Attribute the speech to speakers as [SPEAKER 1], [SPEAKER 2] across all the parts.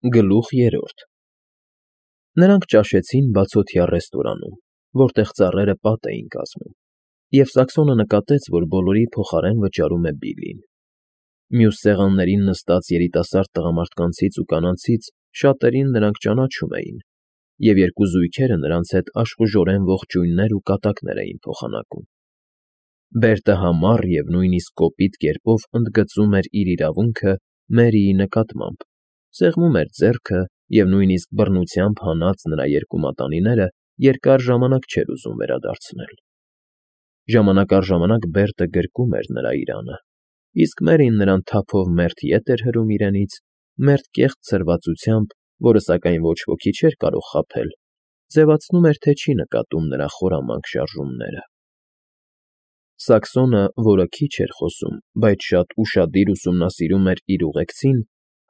[SPEAKER 1] Գլուխ 3 Նրանք ճաշեցին բացօթյա ռեստորանում, որտեղ ծառերը պատ էին կազմում, և Սակսոնը նկատեց, որ բոլորի փոխարեն վճարում է Բիլլին։ Մյուս սեղաններին նստած երիտասարդ տղամարդկանցից ու կանանցից շատերին նրանք ճանաչում էին, և երկու զույգերը նրանց հետ աշխուժորեն ողջույններ ու կատակներ էին փոխանակում։ Բերտը համառ և նույնիսկ կոպիտ կերպով ընդգծում էր իր իրավունքը Մերիի նկատմամբ, սեղմում էր ձեռքը և նույնիսկ բռնությամբ հանած նրա երկու մատանիները երկար ժամանակ չէր ուզում վերադարձնել։ Ժամանակ առ ժամանակ Բերտը գրկում էր նրա իրանը, իսկ Մերին նրան թափով մերթ ետ էր հրում իրենից, մերթ կեղծ ցրվածությամբ, որը սակայն ոչ ոքի չէր կարող խաբել, ձևացնում էր, թե չի նկատում նրա խորամանկ շարժումները։ Սակսոնը, որը քիչ էր խոսում, բայց շատ ուշադիր ուսումնասիրում էր իր ուղեկցին,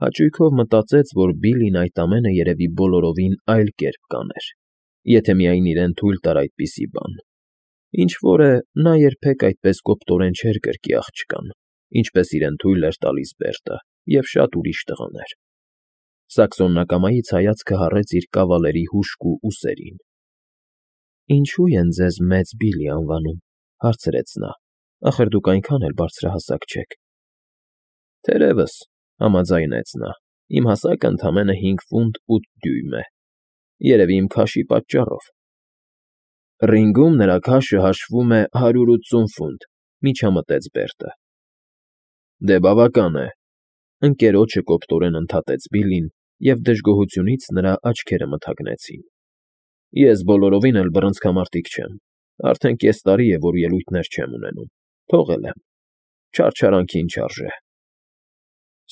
[SPEAKER 1] հաճույքով մտածեց, որ Բիլլին այդ ամենը երևի բոլորովին այլ կերպ կաներ, եթե միայն իրեն թույլ տար այդպիսի բան։ Ինչ֊որ է, նա երբեք այդպես կոպտորեն չէր գրկի աղջկան, ինչպես իրեն թույլ էր տալիս Բերտը և շատ ուրիշ տղաներ։ Սակսոնն ակամայից հայացքը հառեց իր կավալերի հուժկու ուսերին։ «Ինչո՞ւ են ձեզ Մեծ Բիլլի անվանում,֊ հարցրեց նա,֊ ախր դուք այնքան էլ բարձրահասակ չեք»։ «Թերևս,֊ համաձայնեց նա,֊ իմ հասակը ընդամենը 5 ֆունտ 8 դյույմ է, երևի իմ քաշի պատճառով»։ «Ռինգում նրա քաշը հաշվում է 180 ֆունտ,֊ միջամտեց Բերտը։ Դե բավական է,֊ ընկերոջը կոպտորեն ընդհատեց Բիլլին, և դժգոհությունից նրա աչքերը մթագնեցին։ «Ես բոլորովին էլ բռնցքամարտիկ չեմ, արդեն կես տարի է, որ ելույթներ չեմ ունենում, թողել եմ, չարչարանքին չարժե»։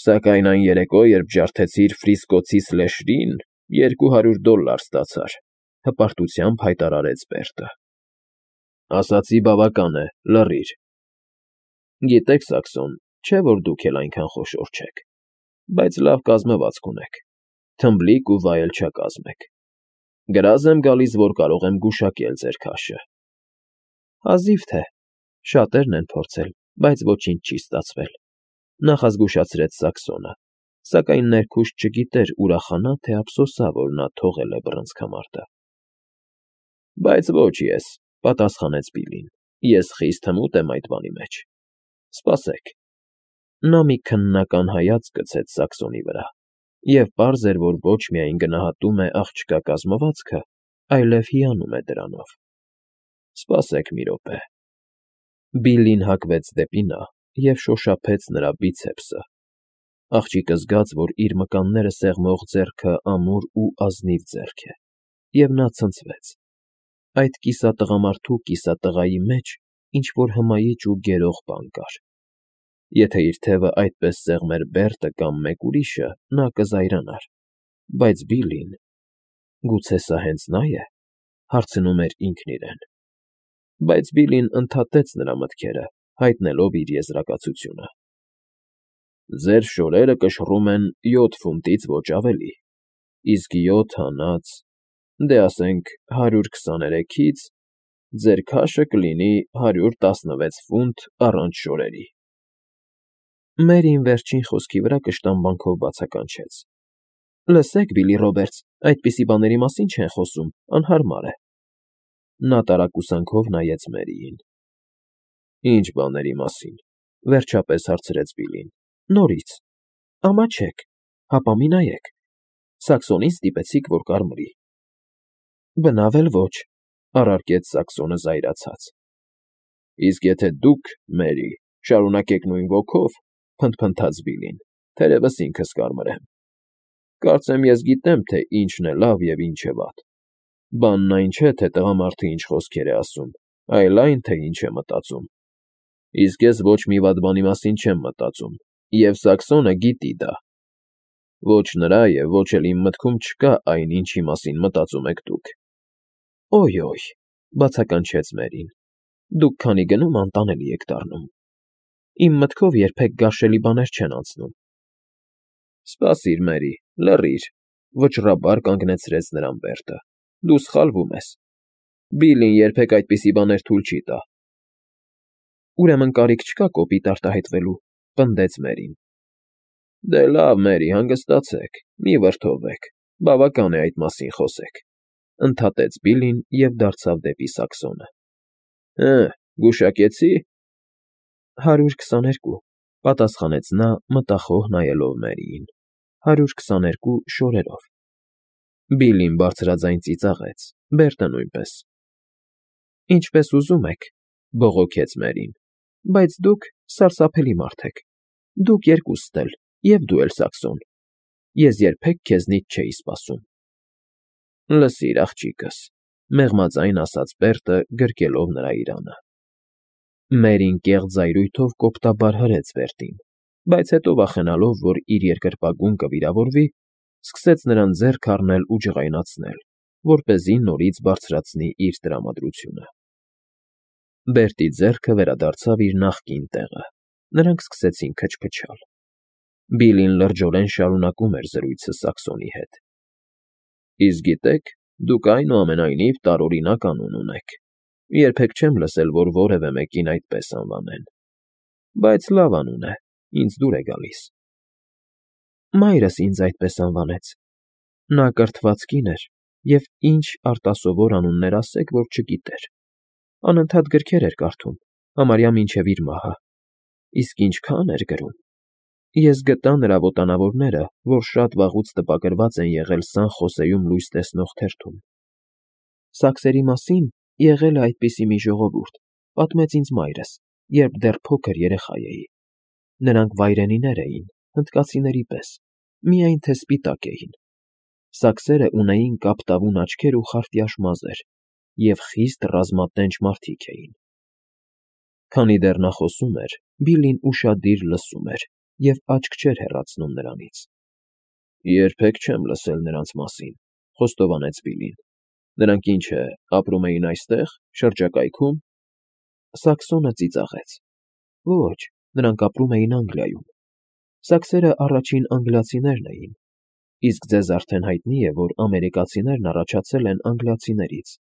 [SPEAKER 1] «Սակայն այն երեկո, երբ ջարդեցիր Ֆրիսկոցի Սլեշրին, $200 ստացար,֊ հպարտությամբ հայտարարեց Բերտը։ Ասացի բավական է, լռիր։ Գիտեք, Սակսոն, չէ՞ որ դուք էլ այնքան խոշոր չեք, բայց լավ կազմվածք ունեք, թմբլիկ ու վայելչակազմ եք։ Գրազ եմ գալիս, որ կարող եմ գուշակել ձեր քաշը։ Հազիվ թե, շատերն են փորձել, բայց ոչինչ չի ստացվել,֊ նախազգուշացրեց Սակսոնը, սակայն ներքուստ չգիտեր ուրախանա, թե ափսոսա, որ նա թողել է բռնցքամարտը։ Բայց ոչ ես,֊ պատասխանեց Բիլլին,֊ ես խիստ հմուտ եմ այդ բանի մեջ։ Սպասեք։ Նա մի քննական հայացք գցեց Սակսոնի վրա, և պարզ էր, որ ոչ միայն գնահատում է աղջկա կազմվածքը, այլև հիանում է դրանով։ Սպասեք մի րոպե։ Բիլլին հակվեց դեպի նա և շոշափեց նրա բիցեպսը։ Աղջիկը զգաց, որ իր մկանները սեղմող ձեռքը ամուր ու ազնիվ ձեռք է, և նա ցնցվեց։ Այդ կիսատղամարդու կիսատղայի մեջ ինչ֊որ հմայիչ ու գերող բան կար։ Եթե իր թևը այդպես սեղմեր Բերտը կամ մեկ ուրիշը, նա կզայրանար, բայց Բիլլին… Գուցե սա հենց նա է, հարցնում էր ինքն իրեն։ Բայց Բիլլին ընդհատեց նրա մտքերը, հայտնելով իր եզրակացությունը։ Ձեր շորերը կշռում են 7 ֆունտից ոչ ավելի, իսկ 7 հանած, դե ասենք 123-ից, ձեր քաշը կլինի 116 ֆունտ առանց շորերի։ Մերին վերջին խոսքի վրա կշտամբանքով բացականչեց. Լսեք, Բիլլի Ռոբերտս, այդպիսի բաների մասին չեն խոսում, անհարմար է։ Նա տարակուսանքով նայեց Մերիին։ Ինչ բաների մասին,֊ վերջապես հարցրեց Բիլլին։ Նորից։ Ամաչեք, հապա մի նայեք։ Սակսոնին ստիպեցիք, որ կարմրի։ Բնավ էլ ոչ,֊ առարկեց Սակսոնը զայրացած։ Իսկ եթե դուք, Մերի, շարունակեք նույն ոգով,֊ փնթփնթաց Բիլլին,֊ թերևս ինքս կարմրեմ։ Կարծեմ ես գիտեմ, թե ինչն է լավ և ինչը վատ։ Բանն այն չէ, թե տղամարդը ինչ խոսքեր է ասում, այլ այն, թե ինչ է մտածում։ Իսկ ես ոչ մի վատ բանի մասին չեմ մտածում, և Սակսոնը գիտի դա։ Ոչ նրա և ոչ էլ իմ մտքում չկա այն, ինչի մասին մտածում եք դուք։ Օյ, բացականչեց Մերին, դուք քանի գնում անտանելի եք դառնում։ Իմ մտքով երբեք գարշելի բաներ չեն անցնում։ Սպասիր, Մերի, լռիր,֊ վճռաբար կանգնեցրեց նրան Բերտը։ Դու սխալվում ես։ Բիլլին երբեք այդպիսի բաներ թույլ չի տա։ Ուրեմն կարիք չկա կոպիտ արտահայտվելու,֊ պնդեց Մերին։ Դե լավ, Մերի, հանգստացեք, մի վրդովվեք, բավական է այդ մասին խոսեք, ընդհատեց Բիլլին և դարձավ դեպի Սաքսոնը։ Գուշակեցի՞։ 122, պատասխանեց նա, մտախոհ նայելով Մերիին։ 122 շորերով։ Բիլլին բարձրաձայն ծիծաղեց, Բերտը նույնպես։ Ինչպես ուզում եք, բողոքեց Մերին, բայց դուք սարսափելի մարդ եք։ Դուք երկուստ էլ, և դու էլ, Սաքսոն։ Ես երբեք քեզնից չէի սպասում։ Լսիր, աղջիկս, մեղմաձայն ասաց Բերտը, գրկելով նրա իրանը։ Մերին կեղծ զայրույթով կոպտաբար հրեց Բերտին, բայց հետո վախենալով, որ իր երկրպագուն կվիրավորվի, սկսեց նրան ձեռք առնել ու ջղայնացնել, որպեսզի նորից բարձրացնի իր տրամադրությունը։ Բերտի ձեռքը վերադարձավ իր նախկին տեղը, նրանք սկսեցին քչփչալ։ Բիլլին լրջորեն շարունակում էր զրույցը Սաքսոնի հետ։ Իսկ գիտեք, դուք այնուամենայնիվ տարօրինակ անուն ունեք։ Երբեք չեմ լսել, որ որևէ մեկին այդպես անվանեն։ Բայց լավ անուն է, ինձ դուր է գալիս։ Մայրս ինձ այդպես անվանեց։ Նա կրթված կին էր, և ինչ արտասովոր անուններ ասեք, որ չգիտեր։ Անընդհատ գրքեր էր կարդում, համարյա մինչև իր մահը։ Իսկ ինչքան էր գրում։ Ես գտա նրա ոտանավորները, որ շատ վաղուց տպագրված են եղել Սան Խոսեում լույս տեսնող թերթում։ Սաքսերի մասին եղել է այդպիսի մի ժողովուրդ, պատմեց ինձ մայրս, երբ դեռ փոքր երեխա էի։ Նրանք վայրենիներ էին, հնդկացիների պես, միայն թե սպիտակ էին։ Սաքսերը ունեին կապտավուն աչքեր ու խարտյաշ մազեր, և խիստ ռազմատենչ մարդիկ էին։ Քանի դեռ նա խոսում էր, Բիլլին ուշադիր լսում էր և աչք չէր հեռացնում նրանից։ Երբեք չեմ լսել նրանց մասին, խոստովանեց Բիլլին։ Նրանք ինչ է, ապրում էին այստեղ, շրջակայքում։ Սաքսոնը ծիծաղեց։ Ոչ, նրանք ապրում էին Անգլիայում։ Սաքսերը առաջին անգլիացիներն էին։ Իսկ ձեզ արդեն հայտնի է, որ ամերիկացիներն առաջացել են անգլիացիներից։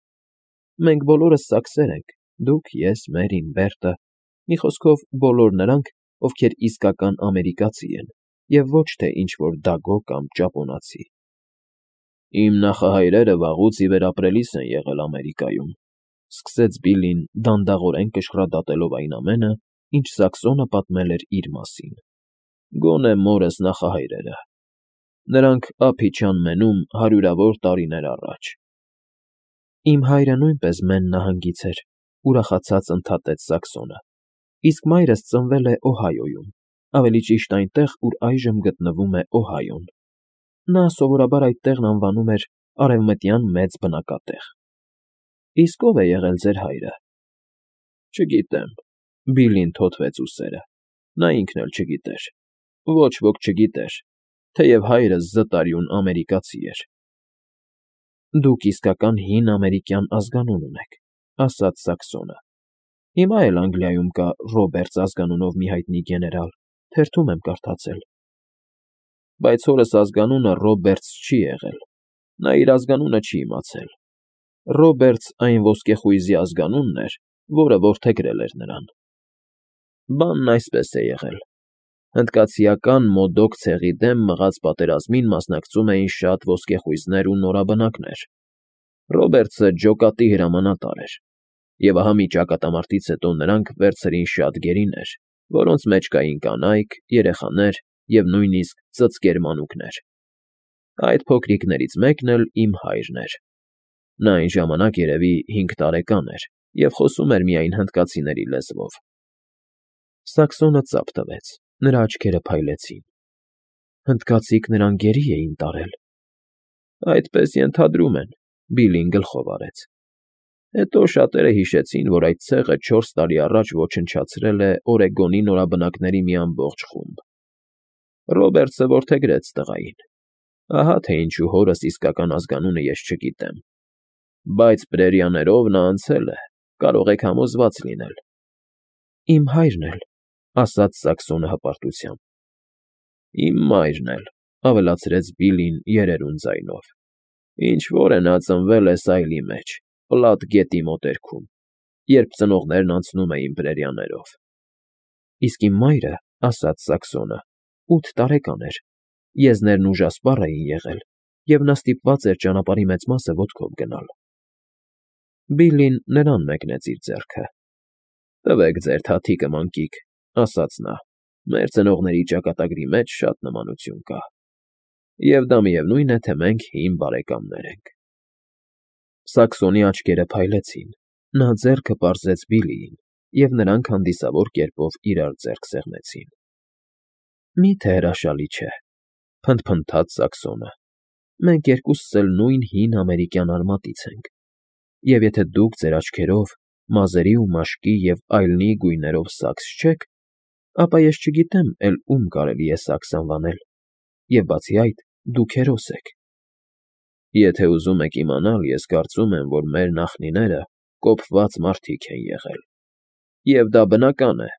[SPEAKER 1] Մենք բոլորս սաքսեր ենք, դուք, ես, Մերին, Բերտը, մի խոսքով բոլոր նրանք, ովքեր իսկական ամերիկացի են, և ոչ թե ինչ-որ դագո կամ ճապոնացի։ Իմ նախահայրերը վաղուց ի վեր ապրելիս են եղել Ամերիկայում, սկսեց Բիլլին, դանդաղորեն կշռադատելով այն ամենը, ինչ Սաքսոնը պատմել էր իր մասին։ Գոնե մորս նախահայրերը։ Նրանք Ափիչան Մենում հարյուրավոր տարիներ առաջ։ Իմ հայրը նույնպես Մեն նահանգից էր, ուրախացած ընդհատեց Սաքսոնը։ Իսկ մայրս ծնվել է Օհայոյում, ավելի ճիշտ այնտեղ, ուր այժմ գտնվում է Օհայոն։ Նա սովորաբար այդ տեղն անվանում էր Արևմտյան Մեծ Բնակատեղ։ Իսկ ո՞վ է եղել ձեր հայրը։ Չգիտեմ։ Բիլլին թոթվեց ուսերը։ Նա ինքն էլ չգիտեր։ Ոչ ոք չգիտեր, թեև հայրս զտարյուն ամերիկացի էր։ Դուք իսկական հին ամերիկյան ազգանուն ունեք, ասաց Սաքսոնը։ Հիմա էլ Անգլիայում կա Ռոբերտս ազգանունով մի հայտնի գեներալ, թերթում եմ կարդացել։ Բայց հորս ազգանունը Ռոբերտս չի եղել։ Նա իր ազգանունը չի իմացել։ Ռոբերտս այն ոսկեխույզի ազգանունն էր, որը որդեգրել էր նրան։ Բանն այսպես է եղել. հնդկացիական Մոդոկ ցեղի դեմ մղած պատերազմին մասնակցում էին շատ ոսկեխույզներ ու նորաբնակներ։ Ռոբերտսը ջոկատի հրամանատար էր, և ահա մի ճակատամարտից հետո նրանք վերցրին շատ գերիներ, որոնց մեջ կային կանայք, երեխաներ և նույնիսկ ծծկեր մանուկներ։ Այդ փոքրիկներից մեկն էլ իմ հայրն էր։ Նա այն ժամանակ երևի 5 տարեկան էր և խոսում էր միայն հնդկացիների լեզվով։ Սաքսոնը ծափ տվեց, նրա աչքերը փայլեցին։ Հնդկացիք նրան գերի էին տարել։ Այդպես ենթադրում են, Բիլլին գլխով արեց։ Հետո շատերը հիշեցին, որ այդ ցեղը 4 տարի առաջ ոչնչացրել է Օրեգոնի նորաբնակների մի ամբողջ խումբ։ Ռոբերտսը որդեգրեց տղային։ Ահա թե ինչու հորս իսկական ազգանունը ես չգիտեմ։ Բայց պրերիաներով նա անցել է, կարող եք համոզված լինել։ Իմ հայրն էլ, ասաց Սաքսոնը հպարտությամբ։ Իմ մայրն էլ, ավելացրեց Բիլլին երերուն ձայնով։ Ինչ-որ է նա ծնվել է Սայլի մեջ, Պլատ գետի մոտերքում, երբ ծնողներն անցնում էին պրերիաներով։ Իսկ իմ մայրը, ասաց Սաքսոնը, 8 տարեկան էր, եզներն ուժասպառ էին եղել, և նա ստիպված էր ճանապարհի մեծ մասը ոտքով գնալ։ Բիլլին նրան մեկնեց իր ձեռքը։ «Տվեք ձեր թաթիկը, մանկիկ», ասաց նա, «մեր ծնողների ճակատագրի մեջ շատ նմանություն կա, և դա միևնույն է, թե մենք հին բարեկամներ ենք»։ Սաքսոնի աչքերը փայլեցին, նա ձեռքը պարզեց Բիլլիին, և նրանք հանդիսավոր կերպով իրար ձեռք սեղմեցին։ «Մի՞թե հրաշալի չէ», փնթփնթաց Սաքսոնը, «մենք երկուսս էլ նույն հին ամերիկյան արմատից ենք, և եթե դուք ձեր աչքերով մազերի ու մաշկի և այլնի գույներով սաքս չեք, ապա ես չգիտեմ էլ ում կարելի է սաքս անվանել, և բացի այդ, դուք հերոս եք։ Եթե ուզում եք իմանալ, ես կարծում եմ, որ մեր նախնիները կոպված մարդիկ են եղել, և դա բնական է։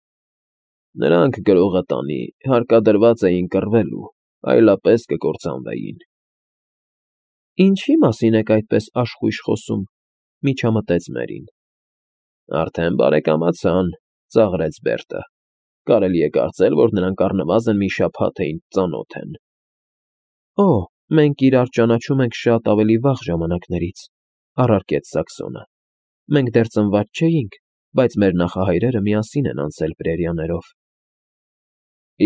[SPEAKER 1] Նրանք գրողատանի հարկադրված էին կռվելու, այլապես կկործանվեին»։ «Ինչի՞ մասին եք այդպես աշխույժ խոսում», միջամտեց Մերին։ «Արդեն բարեկամացան», ծաղրեց Բերտը։ «Կարելի է կարծել, որ նրանք առնվազն մի շաբաթ է ինձ ծանոթ են»։ «Օ, մենք իրար ճանաչում ենք շատ ավելի վաղ ժամանակներից», առարկեց Սաքսոնը։ «Մենք դեռ ծնված չէինք, բայց մեր նախահայրերը միասին են անցել պրերիաներով»։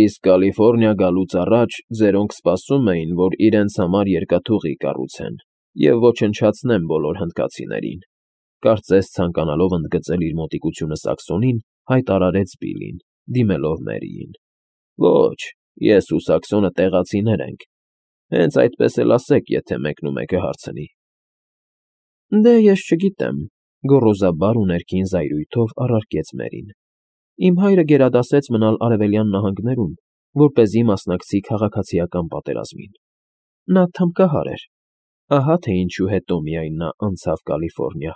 [SPEAKER 1] «Իսկ Կալիֆոռնիա գալուց առաջ ձերոնք սպասում էին, որ իրենց համար երկաթուղի կառուցեն և ոչնչացնեն բոլոր հնդկացիներին», կարծես ցանկանալով ընդգծել իր մոտիկությունը Սաքսոնին, հայտարարեց Բիլլին, դիմելով Մերիին։ «Ոչ, ես ու Սաքսոնը տեղացիներ ենք, հենց այդպես էլ ասեք, եթե մեկն ու մեկը հարցնի»։ «Դե, ես չգիտեմ», գոռոզաբար ու ներքին զայրույթով առարկեց Մերին։ «Իմ հայրը գերադասեց մնալ Արևելյան նահանգներում, որպեսզի մասնակցի քաղաքացիական պատերազմին։ Նա թմբկահար էր, ահա թե ինչու հետո միայն նա անցավ Կալիֆոռնիա»։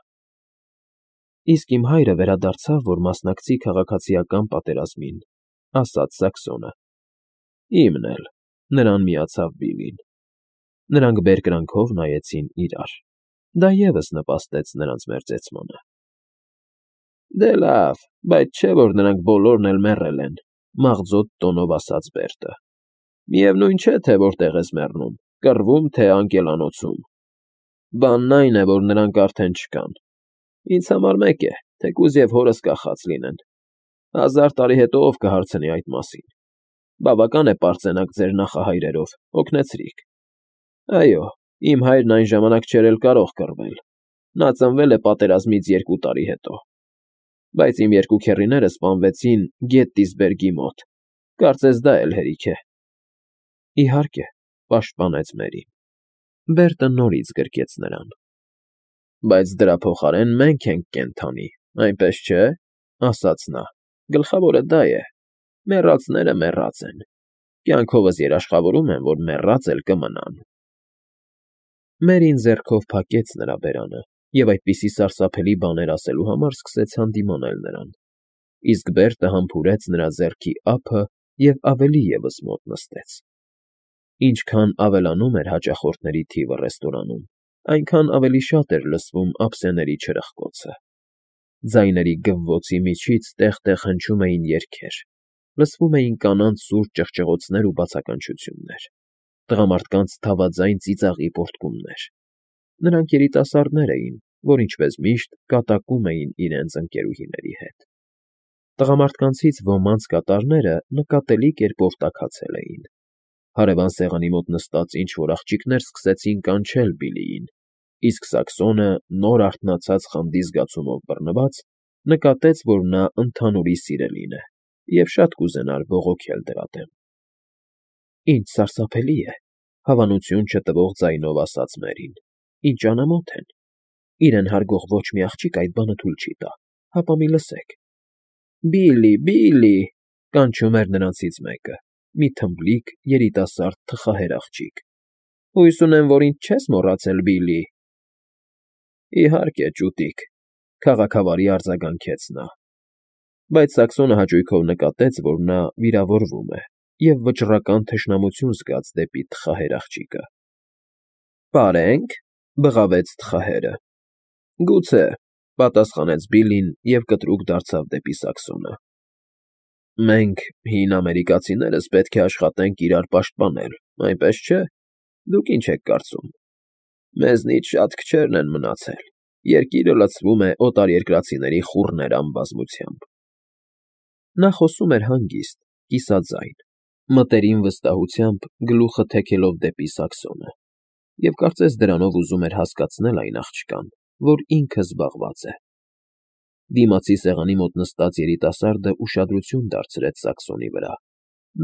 [SPEAKER 1] «Իսկ իմ հայրը վերադարձավ, որ մասնակցի քաղաքացիական պատերազմին», ասաց Սաքսոնը։ «Իմն էլ», նրան միացավ Բիլլին։ Նրանք բերկրանքով նայեցին իրար։ Դա ևս նպաստեց նրանց մերձեցմանը։ «Դե լավ, բայց չէ՞ որ նրանք բոլորն էլ մեռել են», մաղձոտ տոնով ասաց Բերտը։ «Միևնույն չէ, թե որտեղ ես մեռնում, կռվում, թե անկելանոցում։ Բանն այն է, որ նրանք արդեն չկան։ Ինձ համար մեկ է, թեկուզ և հորս կախած լինեն։ 1000 տարի հետո ով կհարցնի այդ մասին։ Բավական է պարծենաք ձեր նախահայրերով, օգնեցրիք։ Այո, իմ հայրն այն ժամանակ չէր էլ կարող կռվել։ Նա ծնվել է պատերազմից 2 տարի հետո։ Բայց իմ երկու քեռիները սպանվեցին Գետտիսբերգի մոտ, կարծես դա էլ հերիք է»։ «Իհարկե», պաշտպանեց Մերին։ Բերտը նորից գրկեց նրան։ «Բայց դրա փոխարեն մենք ենք կենդանի, այնպես չէ՞, ասաց նա։ «Գլխավորը դա է։ Մեռածները մեռած են։ Կյանքովս երաշխավորում եմ, որ մեռած էլ կմնան»։ Մերին ձեռքով փակեց նրա բերանը և այդպիսի սարսափելի բաներ ասելու համար սկսեց հանդիմանել նրան, իսկ Բերտը համբուրեց նրա ձեռքի ափը և ավելի ևս մոտ նստեց։ Ինչքան ավելանում էր հաճախորդների թիվը ռեստորանում, այնքան ավելի շատ էր լսվում ափսեների չրխկոցը։ Ձայների գվվոցի միջից տեղ֊տեղ հնչում էին երգեր, լսվում էին կանանց սուր ճղճղոցներ ու բացականչություններ, տղամարդկանց թավաձայն ծիծաղի պոռթկումներ։ Նրանք երիտասարդներ էին, որ ինչպես միշտ կատակում էին իրենց ընկերուհիների հետ։ Տղամարդկանցից ոմանց կատարները նկատելի կերպով տաքացել էին։ Հարևան սեղանի մոտ նստած ինչ֊որ աղջիկներ սկսեցին կանչել Բիլլիին, իսկ Սաքսոնը, նոր արթնացած խանդի զգացումով բռնված, նկատեց, որ նա ընդհանուրի սիրելին է, և շատ կուզենար բողոքել դրա դեմ։ «Ինչ սարսափելի է», հավանություն չտվող ձայնով ասաց Մերին։ «Ինչ անամոթ են։ Իրեն հարգող ոչ մի աղջիկ այդ բանը թույլ չի տա, հապա մի լսեք»։ «Բիլլի, Բիլլի», կանչում էր նրանցից մեկը, մի թմբլիկ, երիտասարդ թխահեր աղջիկ։ «Հույս ունեմ, որ ինձ չես մոռացել, Բիլլի»։ «Իհարկե, ճուտիկ», քաղաքավարի արձագանքեց նա։ Բայց Սաքսոնը հաճույքով նկատեց, որ նա վիրավորվում է, և վճռական թշնամություն զգաց դեպի թխահեր աղջիկը։ «Պարե՞նք», բղավեց թխահերը։ «Գուցե», պատասխանեց Բիլլին և կտրուկ դարձավ դեպի Սաքսոնը։ Մենք, հին ամերիկացիներս, պետք է աշխատենք իրար պաշտպանել, այնպես չէ՞։ Դուք ինչ եք կարծում։ Մեզնից շատ քչերն են մնացել։ Երկիրը լցվում է օտարերկրացիների խուռներ անբազմությամբ։ Նա խոսում էր հանգիստ, կիսաձայն, մտերիմ վստահությամբ գլուխը թեքելով դեպի Սաքսոնը, և կարծես դրանով ուզում էր հասկացնել այն աղջկան, որ ինքը զբաղված է։ Դիմացի սեղանի մոտ նստած երիտասարդը ուշադրություն դարձրեց Սաքսոնի վրա։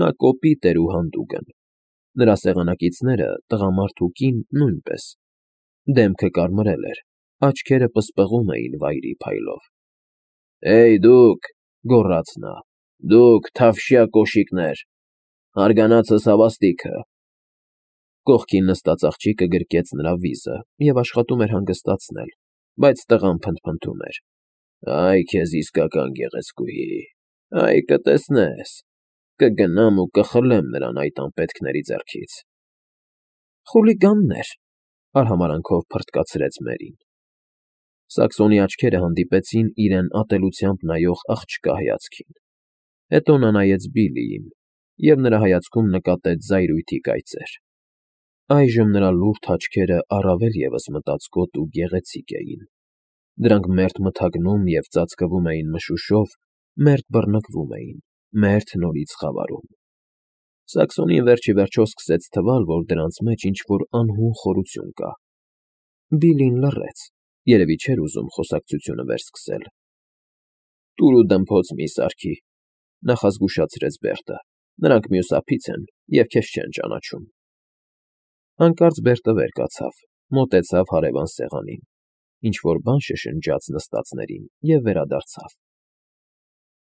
[SPEAKER 1] Նա կոպիտ էր ու հանդուգն։ Նրա սեղանակիցները, տղամարդ ու կին, նույնպես։ Դեմքը կարմրել էր, աչքերը պսպղում էին վայրի փայլով։ «Հեյ, դուք», գոռաց նա, «դուք, թավշյա կոշիկներ, հարգանացս հավաստիքը»։ Կողքին նստած աղջիկը գրկեց նրա վիզը և աշխատում էր հանգստացնել, բայց տղան փնթփնթում էր. «Այ քեզ իսկական գեղեցկուհի, այ կտեսնես, կգնամ ու կխլեմ նրան այդ անպետքների ձեռքից»։ «Խուլիգաններ», արհամարանքով փռթկացրեց Մերին։ Սաքսոնի աչքերը հանդիպեցին իրեն ատելությամբ նայող աղջկա հայացքին։ Հետո նա նայեց Բիլլիին, և նրա հայացքում նկատեց զայրույթի կայծեր։ Այժմ նրա լուրջ աչքերը առավել ևս մտածկոտ ու գեղեցիկ էին։ Դրանք մերթ մթագնում և ծածկվում էին մշուշով, մերթ բռնկվում էին, մերթ նորից խավարում։ Սաքսոնին վերջ ի վերջո սկսեց թվալ, որ դրանց մեջ ինչ֊որ անհուն խորություն կա։ Բիլլին լռեց, երևի չէր ուզում խոսակցությունը վերսկսել։ «Տուր ու դմփոց մի սարքի», նախազգուշացրեց Բերտը։ «Նրանք մյուս ափից են և քեզ չեն ճանաչում»։ Հանկարծ Բերտը վեր կացավ, մոտեցավ հարևան սեղանին, ինչ֊որ բան շշնջաց նստածներին և վերադարձավ։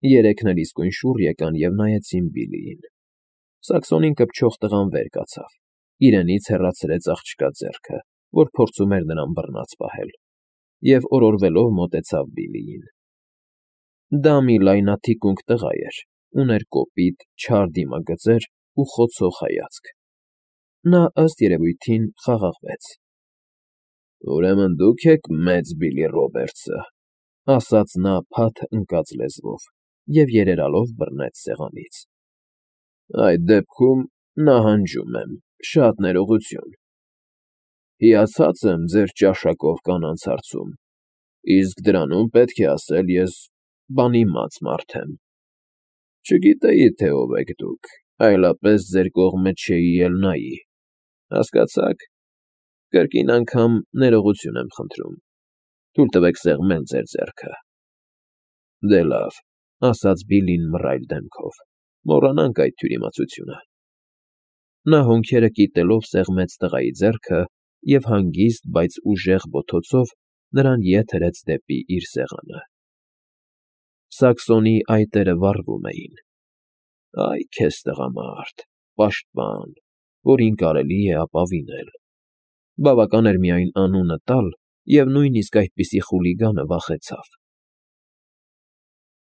[SPEAKER 1] Երեքն էլ իսկույն շուռ եկան և նայեցին Բիլլիին։ Սաքսոնին կպչող տղան վեր կացավ, իրենից հեռացրեց աղջկա ձեռքը, որ փորձում էր նրան բռնած պահել, և օրորվելով մոտեցավ Բիլլիին։ Դա մի լայնաթիկունք տղա էր, ուներ կոպիտ, չար դիմագծեր ու խոցող հայացք։ Նա, ըստ երևույթին, խաղաղվեց։ «Ուրեմն դուք եք մեծ Բիլլի Ռոբերտսը», ասաց նա փաթ ընկած լեզվով և երերալով բռնեց սեղանից։ «Այդ դեպքում նահանջում եմ, շատ ներողություն։ Հիացած եմ ձեր ճաշակով կանանց հարցում, իսկ դրանում պետք է ասել ես բանիմաց մարդ եմ։ Չգիտեի, թե ով եք դուք, այլապես ձեր կողմը չէի էլ նայի, հասկացա՞ք։ Կրկին անգամ ներողություն եմ խնդրում։ Թույլ տվեք սեղմել ձեր ձեռքը»։ «Դե լավ», ասաց Բիլլին մռայլ դեմքով, «մոռանանք այդ թյուրիմացությունը»։ Նա հոնքերը կիտելով սեղմեց տղայի ձեռքը և հանգիստ, բայց ուժեղ բոթոցով նրան ետ հրեց դեպի իր սեղանը։ Սաքսոնի այտերը վառվում էին։ Այ քեզ տղամարդ, պաշտպան, որին կարելի է ապավինել։ Բավական էր միայն անունը տալ, և նույնիսկ այդպիսի խուլիգանը վախեցավ։